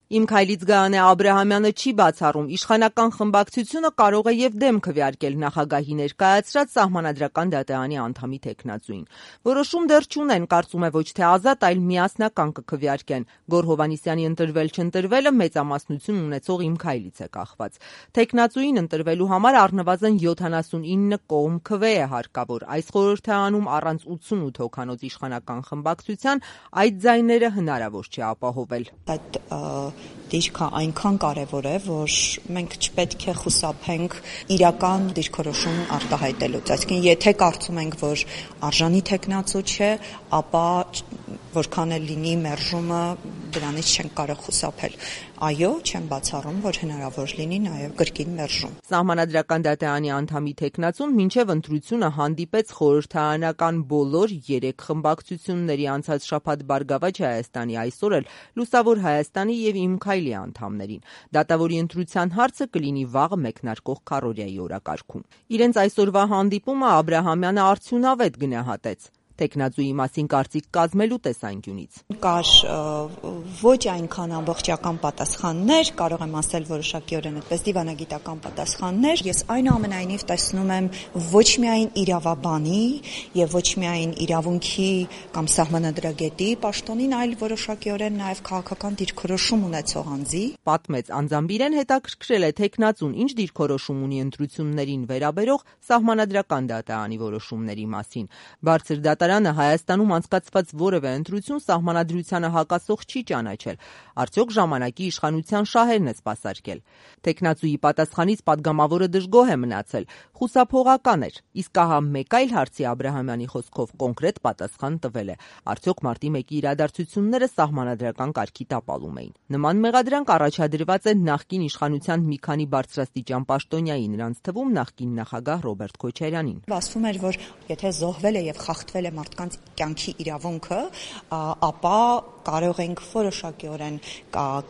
Իմ քայլից Գայանե Աբրահամյանը չի բացառում, իշխանական խմբակցությունը կարող է եւ դեմ քվեարկել նախագահի ներկայացրած Սահմանադրական դատարանի անդամի թեկնածուին։ Որոշում դեռ չունեն, կարծում է ոչ թե ազատ, այլ միասնական կքվեարկեն։ Գոռ Հովհաննիսյանի ընտրվել-չընտրվելը մեծամասնություն ունեցող Իմ քայլից է կախված։ Թեկնածուին ընտրվելու համար առնվազն 79 կողմ քվե է հարկավոր։ Այս խորհրդարանում առանց 88 հոգանոց իշխանական խմբակցության այդ ձայները հնարավոր չէ ապահովել։ Դիրքը այնքան կարևոր է, որ մենք չպետք է խուսափենք իրական դիրքորոշում արտահայտելուց։ Այսինքն, եթե կարծում ենք, որ արժանի թեկնածու չէ, ապա որքան էլ լինի մերժումը, դրանից չենք կարող խուսափել։ Այո, չեմ բացառում, որ հնարավոր լինի նաև կրկին մերժում։ Սահմանադրական դատարանի անդամի թեկնածուն մինչև ընտրությունը հանդիպեց խորհրդարանական բոլոր 3 խմբակցությունների անցած շաբաթ Բարգավաճ Հայաստանի, այսօր էլ Լուսավոր Հայաստանի եւ Իմ քայլի անդամներին։ Դատավորի ընտրության հարցը կլինի վաղը մեկնարկող քառօրյայի օրակարգում։ Իրենց այսօրվա հանդիպումը Աբրահամյանը արդյունավետ գնահատեց թեկնածուի մասին կարծիք կազմելու տեսանկյունից։ Կար ոչ այնքան ամբողջական պատասխաններ, կարող եմ ասել որոշակիորեն այդպես դիվանագիտական պատասխաններ։ Ես այնուամենայնիվ տեսնում եմ ոչ միայն իրավաբանի եւ ոչ միայն իրավունքի կամ սահմանադրագետի պաշտոնին, այլ որոշակիորեն նաև քաղաքական դիրքորոշում ունեցող անձի։ Պատմեց Անձամբիրեն, հետաքրքրել է թեկնածուն ինչ դիրքորոշում ունի ընտրություններին վերաբերող Սահմանադրական դատարանի որոշումների մասին։ Բարձր դատարանը Հայաստանում անցկացված որևէ ընտրություն սահմանադրությանը հակասող չի ճանաչել։ Արդյոք ժամանակի իշխանության շահերն է սպասարկել։ Թեկնածուի պատասխանից падգամավորը դժգոհ է մնացել, խուսափողական էր, իսկ ահա մեկ այլ հարցի Աբրահամյանի խոսքով կոնկրետ պատասխան տվել է։ Արդյոք մարտի 1-ի իրադարձությունները սահմանադրական կարգի տապալում էին։ Նման մեղադրանք առաջադրված է նախկին իշխանության մի քանի բարձրաստիճան պաշտոնյայի, նրանց թվում նախկին նախագահ Ռոբերտ Քոչարյանին։ Ասվում էր, որ եթե զոհվել է եւ խախտվել է մարդկանց կյանքի իրավունքը, ապա կարող ենք որոշակիորեն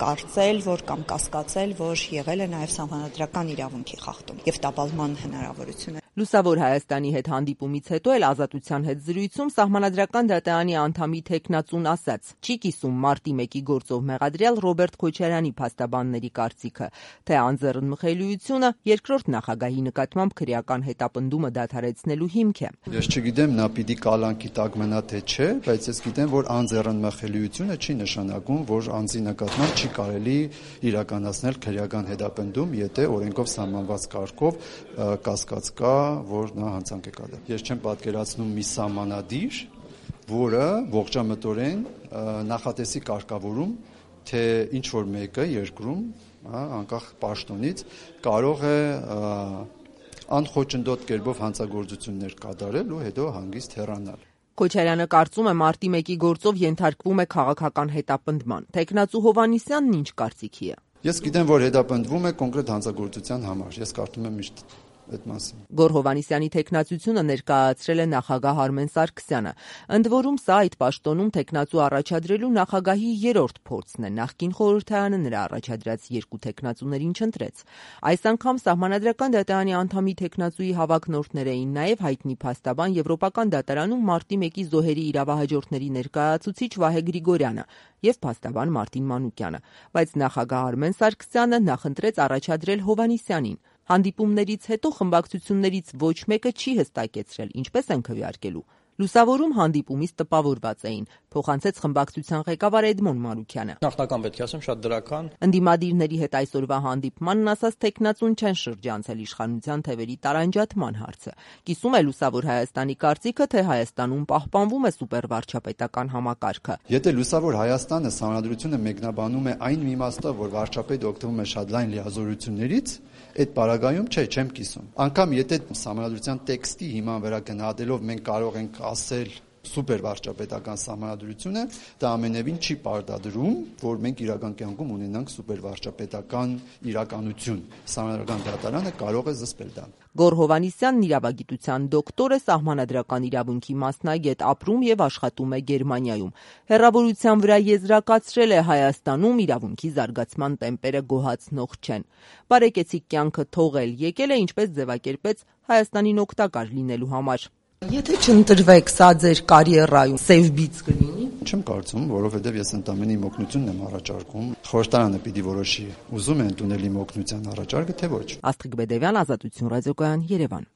կարծել, որ կամ կասկածել, որ եղել է նաև սահմանադրական իրավունքի խախտում եւ տապալման հնարավորություն։ Լուսավոր Հայաստանի հետ հանդիպումից հետո էլ Ազատության հետ զրույցում Սահմանադրական դատարանի անդամի թեկնածուն ասաց. չի կիսում մարտի 1-ի գործով մեղադրյալ Ռոբերտ Քոչարյանի փաստաբանների կարծիքը, թե անձեռնմխելիությունը երկրորդ նախագահի նկատմամբ քրեական հետապնդումը դադարեցնելու հիմք է։ Ես չգիտեմ, նա պիտի կալանքի տակ մնա թե չէ, բայց ես գիտեմ, որ անձեռնմխելիությունը չի նշանակում, որ անձի նկատմամբ չի կարելի իրականացնել քրեական հետապնդում, եթե օրենքով սահմանված կարգով կասկած կա, որ նա հանցանք է կատարել։ Ես չեմ պատկերացնում մի սահմանադիր, որը ողջամտորեն նախատեսի կարգավորում, թե ինչ որ մեկը երկրում, անկախ պաշտոնից, կարող է անխոչնդոտ կերպով հանցագործություններ կատարել ու հետո հանգիստ հեռանալ։ Քոչարյանը կարծում է մարտի 1-ի գործով ենթարկվում է քաղաքական հետապնդման։ Թեկնածու Հովհաննիսյանն ինչ կարծիքի է։ Ես գիտեմ, որ հետապնդվում է կոնկրետ հանցագործության համար։ Ես կարծում եմ միշտ այդ մասին։ Գոռ Հովհաննիսյանի թեկնածությունը ներկայացրել է նախագահ Արմեն Սարգսյանը։ Ընդ որում սա այդ պաշտոնում թեկնածու առաջադրելու նախագահի 3-րդ փորձն է։ Նախկին խորհրդարանը նրա առաջադրած 2 թեկնածուներին չընտրեց։ Այս անգամ Սահմանադրական դատարանի անդամի թեկնածուի հավակնորդներ էին նաև հայտնի փաստաբան Եվրոպական դատարանում մարտի 1-ի զոհերի իրավահաջորդների ներկայացուցիչ Վահե Գրիգորյանը եւ փաստաբան Մարտին Մանուկյանը, բայց նախագահ Արմեն Սարգսյանը նախընտրեց առաջադրել Հովհաննիսյանին։ Հանդիպումներից հետո խմբակցություններից ոչ մեկը չի հստակեցրել ինչպես են քվեարկելու։ Լուսավորում հանդիպումից տպավորված էին, փոխանցեց խմբակցության ղեկավար Էդմոն Մանուկյանը։ Նախնական պետք է ասեմ շատ դրական։ Ընդդիմադիրների հետ այսօրվա հանդիպմանն ասած թեկնածուն չեն շրջանցել իշխանության թևերի տարանջատման հարցը։ Կիսում է Լուսավոր Հայաստանի կարծիքը, թե Հայաստանում պահպանվում է սուպերվարչապետական համակարգը։ Եթե Լուսավոր Հայաստանը սահմանադրությունը մեկնաբանում է այն իմաստով, որ վարչապետը օգտվում է շատ լայն լիազորություններից, այդ պարագայում չեմ կիսում։ Անկամ եթե սահմանադրության տեքստի հիման վրա գնահատելով մենք կարող ենք ասել սուպեր վարչապետական սահմանադրությունը, դա ամենևին չի պարտադրում, որ մենք իրական կյանքում ունենանք սուպեր վարչապետական իրականություն։ Սահմանադրական դատարանը կարող է զսպել դա։ Գոռ Հովհաննիսյանն իրավագիտության դոկտոր է, սահմանադրական իրավունքի մասնագետ, ապրում եւ աշխատում է Գերմանիայում։ Հեռավորության վրա եզրակացրել է Հայաստանում իրավունքի զարգացման տեմպերը գոհացնող չեն։ Բարեկեցիկ կյանքը թողել եկել է, ինչպես ձևակերպեց Հայաստանին օգտակար լինելու համար։ Եթե չընտրվեք, սա ձեր կարիերայում սև բիծ կլինի։ չեմ կարծում, որովհետև ես ընդամենը իմ օգնությունն եմ առաջարկում։ Խորհրդարանը պիտի որոշի՝ ուզում է ընդունել իմ օգնության առաջարկը, թե ոչ։ Աստղիկ Բեդևյան, Ազատություն ռադիոկայան, Երևան։